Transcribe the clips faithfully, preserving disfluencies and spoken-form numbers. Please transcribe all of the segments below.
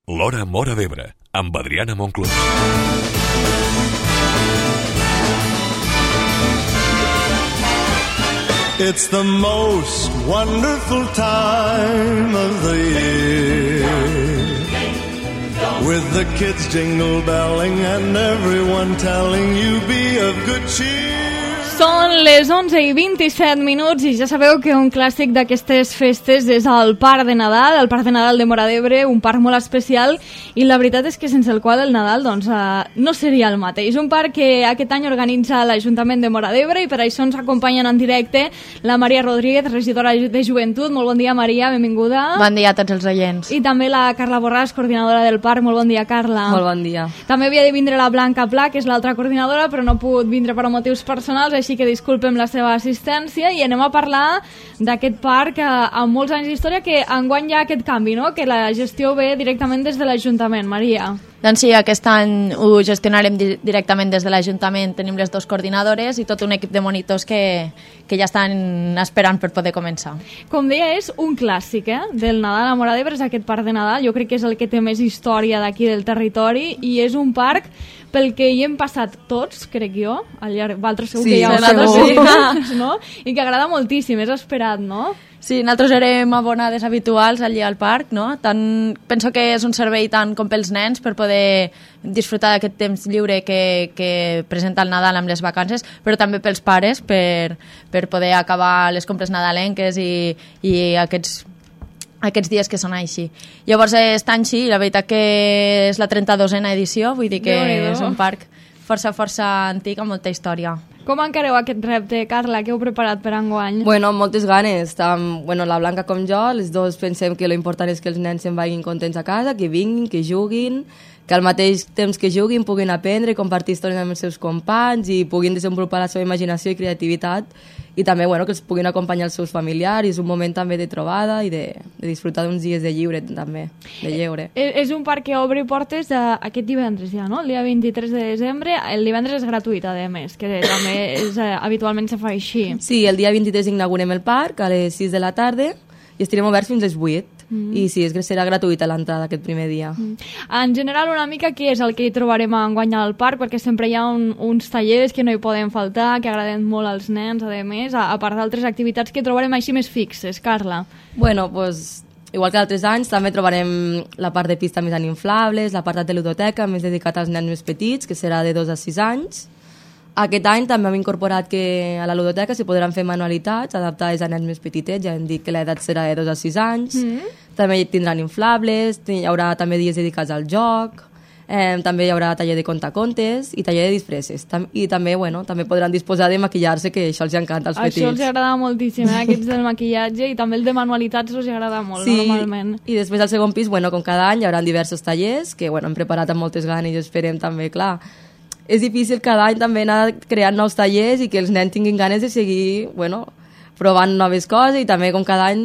L'Hora Móra d'Ebre, amb Adriana Monclús. It's the most wonderful time of the year, with the kids jingle belling and everyone telling you be of good cheer. Són les onze i vint-i-set minuts i ja sabeu que un clàssic d'aquestes festes és el Parc de Nadal, el Parc de Nadal de Móra d'Ebre, un parc molt especial i la veritat és que sense el qual el Nadal doncs, eh, no seria el mateix. Un parc que aquest any organitza l'Ajuntament de Móra d'Ebre i per això ens acompanyen en directe la Maria Rodríguez, regidora de Joventut. Molt bon dia, Maria, benvinguda. Bon dia a tots els oients. I també la Carla Borràs, coordinadora del parc. Molt bon dia, Carla. Molt bon dia. També havia de vindre la Blanca Pla, que és l'altra coordinadora, però no ha pogut vindre per motius personals, així que disculpem la seva assistència i anem a parlar d'aquest parc eh, amb molts anys d'història que enguany hi ha aquest canvi, no? Que la gestió ve directament des de l'Ajuntament. Maria. Doncs sí, aquest any ho gestionarem di- directament des de l'Ajuntament. Tenim les dues coordinadores i tot un equip de monitors que, que ja estan esperant per poder començar. Com deia, és un clàssic eh? del Nadal a Móra d'Ebre, és aquest parc de Nadal. Jo crec que és el que té més història d'aquí del territori i és un parc pel que hi hem passat tots, crec jo, al llarg, Valtres segur Sí, que hi ha segur. vosaltres, no? I que agrada moltíssim, és esperat, no? Sí, nosaltres érem abonades habituals allí al parc, no? Tant, penso que és un servei tant com pels nens per poder disfrutar d'aquest temps lliure que, que presenta el Nadal amb les vacances, però també pels pares per, per poder acabar les compres nadalenques i, i aquests aquests dies que són així. Llavors, està així, la veritat que és la trenta-dosena edició, vull dir que Déu-n'hi-do. és un parc força, força antic amb molta història. Com encareu aquest repte, Carla? Què heu preparat per enguany? Bueno, amb moltes ganes. Tam, bueno, la Blanca com jo, les dos pensem que l'important és que els nens se'n vagin contents a casa, que vinguin, que juguin, que al mateix temps que juguin puguin aprendre, compartir històries amb els seus companys i puguin desenvolupar la seva imaginació i creativitat i també bueno, que els puguin acompanyar els seus familiars. És un moment també de trobada i de, de disfrutar d'uns dies de lliure també, de lleure. Eh, És un parc que obre portes eh, aquest divendres ja, no? El dia vint-i-tres de desembre. El divendres és gratuït, a més, que també és, eh, habitualment se fa així. Sí, el dia vint-i-tres inaugurem el parc a les sis de la tarda i estarem oberts fins a les vuit. Mm. I sí, és que serà gratuïta l'entrada aquest primer dia. Mm. En general, una mica què és el que hi trobarem enguany al parc, perquè sempre hi ha un, uns tallers que no hi poden faltar, que agraden molt als nens, a més, a, a part d'altres activitats que trobarem així més fixes, Carla. Bueno, pues, igual que altres anys, també trobarem la part de pista més en inflables, la part de ludoteca més dedicat als nens més petits, que serà de dos a sis anys. Aquest any també hem incorporat que a la ludoteca s'hi podran fer manualitats adaptades a nens més petitets, ja hem dit que l'edat serà de dos a sis anys. Mm. També tindran inflables, hi haurà també dies dedicats al joc, eh, també hi haurà taller de contacontes i taller de disfresses. Tam I també, bueno, també podran disposar de maquillar-se, que això els encanta als petits. Això els agrada moltíssim, eh? Aquests del maquillatge, i també el de manualitats els agrada molt, sí, normalment. I després al segon pis, bueno, com cada any, hi haurà diversos tallers que bueno, hem preparat amb moltes ganes i esperem també, clar. És difícil cada any també anar creant nous tallers i que els nens tinguin ganes de seguir bueno, provant noves coses i també com cada any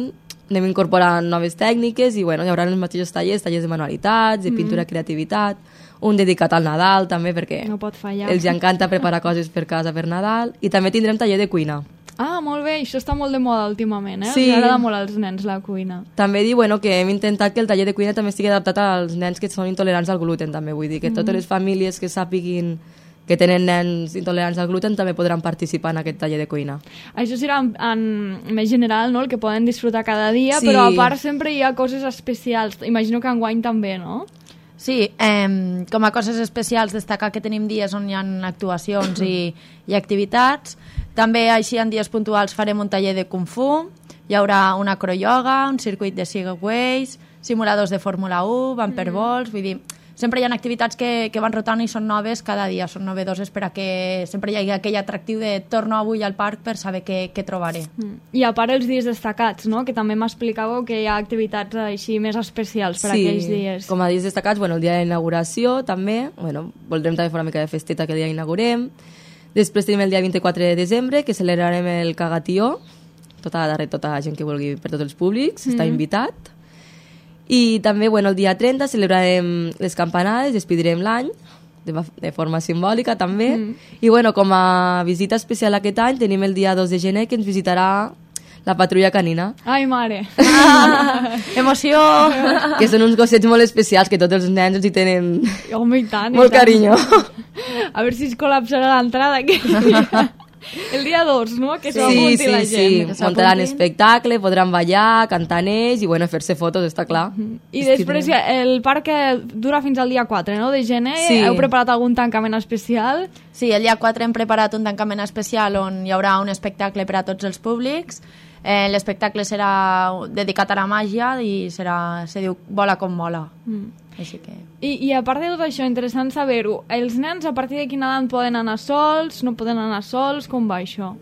anem incorporant noves tècniques i bueno, hi haurà els mateixos tallers, tallers de manualitats, de pintura, mm. creativitat, un dedicat al Nadal també perquè no pot fallar. Els encanta preparar coses per casa per Nadal i també tindrem taller de cuina. Ah, molt bé, això està molt de moda últimament, eh? Sí. Els agrada molt als nens la cuina. També dir bueno, que hem intentat que el taller de cuina també estigui adaptat als nens que són intolerants al gluten, també vull dir que mm. totes les famílies que sàpiguin que tenen nens intolerants al gluten també podran participar en aquest taller de cuina. Això serà en, en més general, no?, el que poden disfrutar cada dia, sí. Però a part sempre hi ha coses especials. Imagino que enguany també, no? Sí, eh, com a coses especials destacar que tenim dies on hi ha actuacions i, i activitats. També així en dies puntuals farem un taller de Kung Fu, hi haurà una acroyoga, un circuit de Segways, simuladors de Fórmula u, bumperballs, mm. vull dir, sempre hi ha activitats que, que van rotant i són noves cada dia, són novedoses per a que sempre hi hagi aquell atractiu de torno avui al parc per saber què, què trobaré. Mm. I a part els dies destacats, no?, que també m'explicàveu que hi ha activitats així més especials per sí, aquells dies. Com a dies destacats, bueno, el dia d'inauguració també, bueno, voldrem també fer una mica de festeta que el dia inaugurem. Després tenim el dia vint-i-quatre de desembre, que celebrarem el Cagatió, tota la darrere, tota la gent que vulgui per tots els públics, mm. està invitat. I també, bueno, el dia trenta celebrarem les campanades, despedirem l'any, de, de forma simbòlica també. Mm. I, bueno, com a visita especial aquest any tenim el dia dos de gener, que ens visitarà la patrulla canina. Ai, mare. Ah, emoció! Que són uns gossets molt especials, que tots els nens els hi tenen Home, i tant, i molt tant. carinyo. A veure si es col·lapsarà l'entrada aquí. El dia dos, no? Que Sí, s'apunti sí, la sí, gent. sí. Muntaran espectacle, podran ballar, cantar en ells i, bueno, fer-se fotos, està clar. I després el parc dura fins al dia quatre, no?, de gener. Sí. Heu preparat algun tancament especial? Sí, el dia quatre hem preparat un tancament especial on hi haurà un espectacle per a tots els públics. Eh, l'espectacle serà dedicat a la màgia i serà, se diu Vola com mola. Mm. Així que... I, I a part de tot això, interessant saber-ho, els nens a partir de quina edat poden anar sols, no poden anar sols, com va això?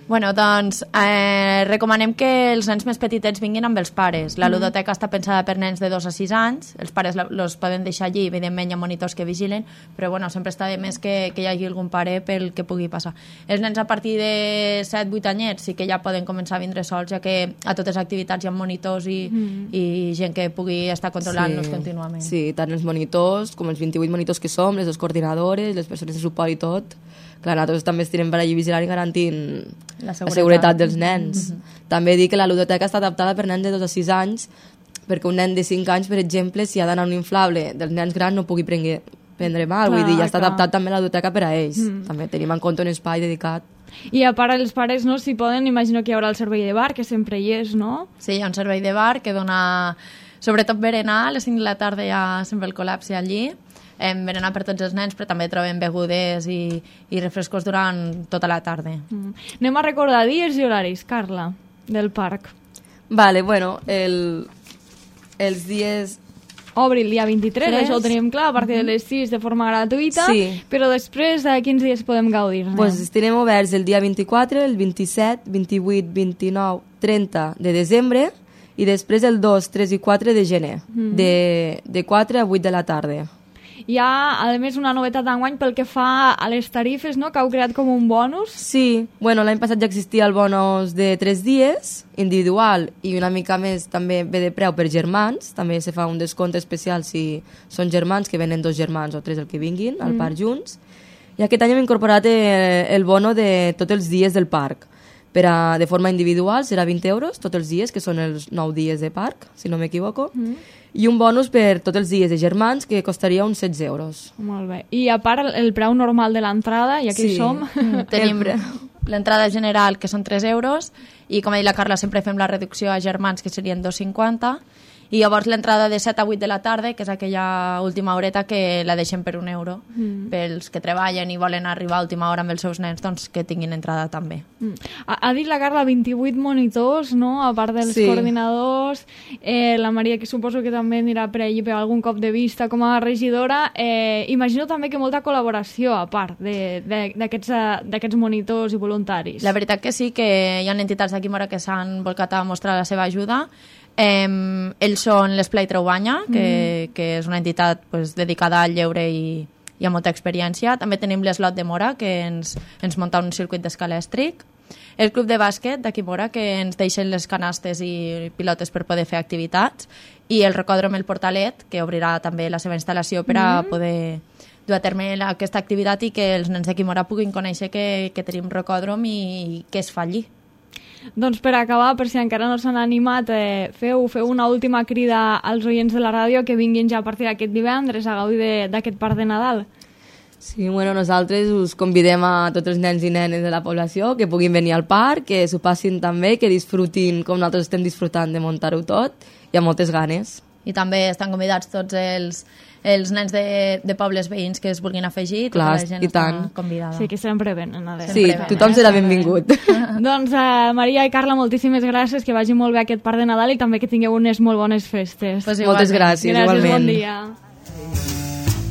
Bueno, doncs eh, recomanem que els nens més petitets vinguin amb els pares. La ludoteca està pensada per nens de dos a sis anys, els pares els poden deixar allí, evidentment hi ha monitors que vigilen, però bueno, sempre està de més que, que hi hagi algun pare pel que pugui passar. Els nens a partir de set vuit anyets sí que ja poden començar a vindre sols, ja que a totes les activitats hi ha monitors i, mm. i gent que pugui estar controlant-los Sí. contínuament. Sí, tant els monitors com els vint-i-vuit monitors que som, les dues coordinadores, les persones de suport i tot. Clar, nosaltres també estirem per allí vigilant i garantint La la seguretat, seguretat dels nens. Mm-hmm. També dic que la ludoteca està adaptada per nens de dos a sis anys, perquè un nen de cinc anys, per exemple, si ha d'anar a un inflable dels nens grans no pugui prendre, prendre mal, Clar, vull dir, ja està clar. adaptat també la ludoteca per a ells. Mm. També tenim en compte un espai dedicat. I a part els pares, no, si poden, imagino que hi haurà el servei de bar, que sempre hi és, no? Sí, hi ha un servei de bar que dona, sobretot berenar, a les cinc de la tarda hi ha sempre el col·lapse allí. Hem berenar per tots els nens, però també trobem begudes i, i refrescos durant tota la tarda. Mm. Anem a recordar dies i horaris, Carla, del parc. Vale, bueno, el, els dies... Obri el dia vint-i-tres, Tres. això ho tenim clar, a partir de les sis de forma gratuïta, Sí. però després de quins dies podem gaudir-ne? Pues estarem oberts el dia vint-i-quatre, el vint-i-set, vint-i-vuit, vint-i-nou, trenta de desembre i després el dos, tres i quatre de gener, mm. de, de quatre a vuit de la tarda. Hi ha, a més, una novetat d'enguany pel que fa a les tarifes, no?, que heu creat com un bonus. Sí, bueno, l'any passat ja existia el bonus de tres dies, individual, i una mica més també ve de preu per germans, també se fa un descompte especial si són germans, que venen dos germans o tres el que vinguin al mm. parc junts. I aquest any hem incorporat el, el bono de tots els dies del parc. Per a, de forma individual serà vint euros tots els dies, que són els nou dies de parc, si no m'equivoco, mm. i un bonus per tots els dies de germans, que costaria uns setze euros. Molt bé. I a part, el preu normal de l'entrada, i aquí Sí. som. Mm, tenim l'entrada general, que són tres euros, i com ha dit la Carla, sempre fem la reducció a germans, que serien dos cinquanta, i llavors l'entrada de set a vuit de la tarda, que és aquella última horeta que la deixem per un euro, mm. pels que treballen i volen arribar a última hora amb els seus nens, doncs que tinguin entrada també. Mm. Ha, ha dit la Carla vint-i-vuit monitors, no?, a part dels Sí. coordinadors, eh, la Maria, que suposo que també anirà per allí per algun cop de vista com a regidora. Eh, imagino també que molta col·laboració a part d'aquests monitors i voluntaris. La veritat que sí, que hi ha entitats d'aquí Mora que s'han volcat a mostrar la seva ajuda. Eh, ells són l'Esplai Traubanya, que, mm. que és una entitat pues, dedicada al lleure i, i a molta experiència. També tenim l'Eslot de Mora, que ens, ens munta un circuit d'escalèstric. El Club de Bàsquet d'aquí Mora, que ens deixen les canastes i pilotes per poder fer activitats. I el Rocòdrom El Portalet, que obrirà també la seva instal·lació per a mm. poder dur a terme aquesta activitat i que els nens d'aquí Mora puguin conèixer que, que tenim rocòdrom i, i què es fa allí. Doncs per acabar, per si encara no s'han animat, eh, feu, feu una última crida als oients de la ràdio que vinguin ja a partir d'aquest divendres a gaudir d'aquest parc de Nadal. Sí, bueno, nosaltres us convidem a tots els nens i nenes de la població que puguin venir al parc, que s'ho passin també, que disfrutin com nosaltres estem disfrutant de muntar-ho tot, i amb moltes ganes. I també estan convidats tots els, els nens de, de pobles veïns que es vulguin afegir. Clar, tota la gent i està tant. convidada. Sí, que sempre venen. A veure. Sí, Sempre tothom eh? serà benvingut. Doncs uh, Maria i Carla, moltíssimes gràcies, que vagi molt bé aquest parc de Nadal i també que tingueu unes molt bones festes. Pues Moltes gràcies, gràcies, igualment. bon dia.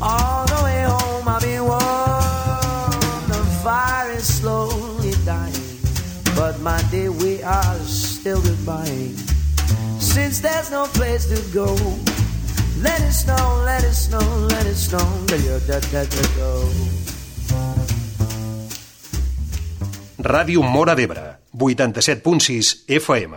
All the way home I've been warm, the fire is slowly dying, but my dear, we are still goodbye. Since there's no place to go, let it snow, let it snow, let it snow, till you're dead, dead, dead, go. Ràdio Móra d'Ebre, vuitanta-set punt sis F M.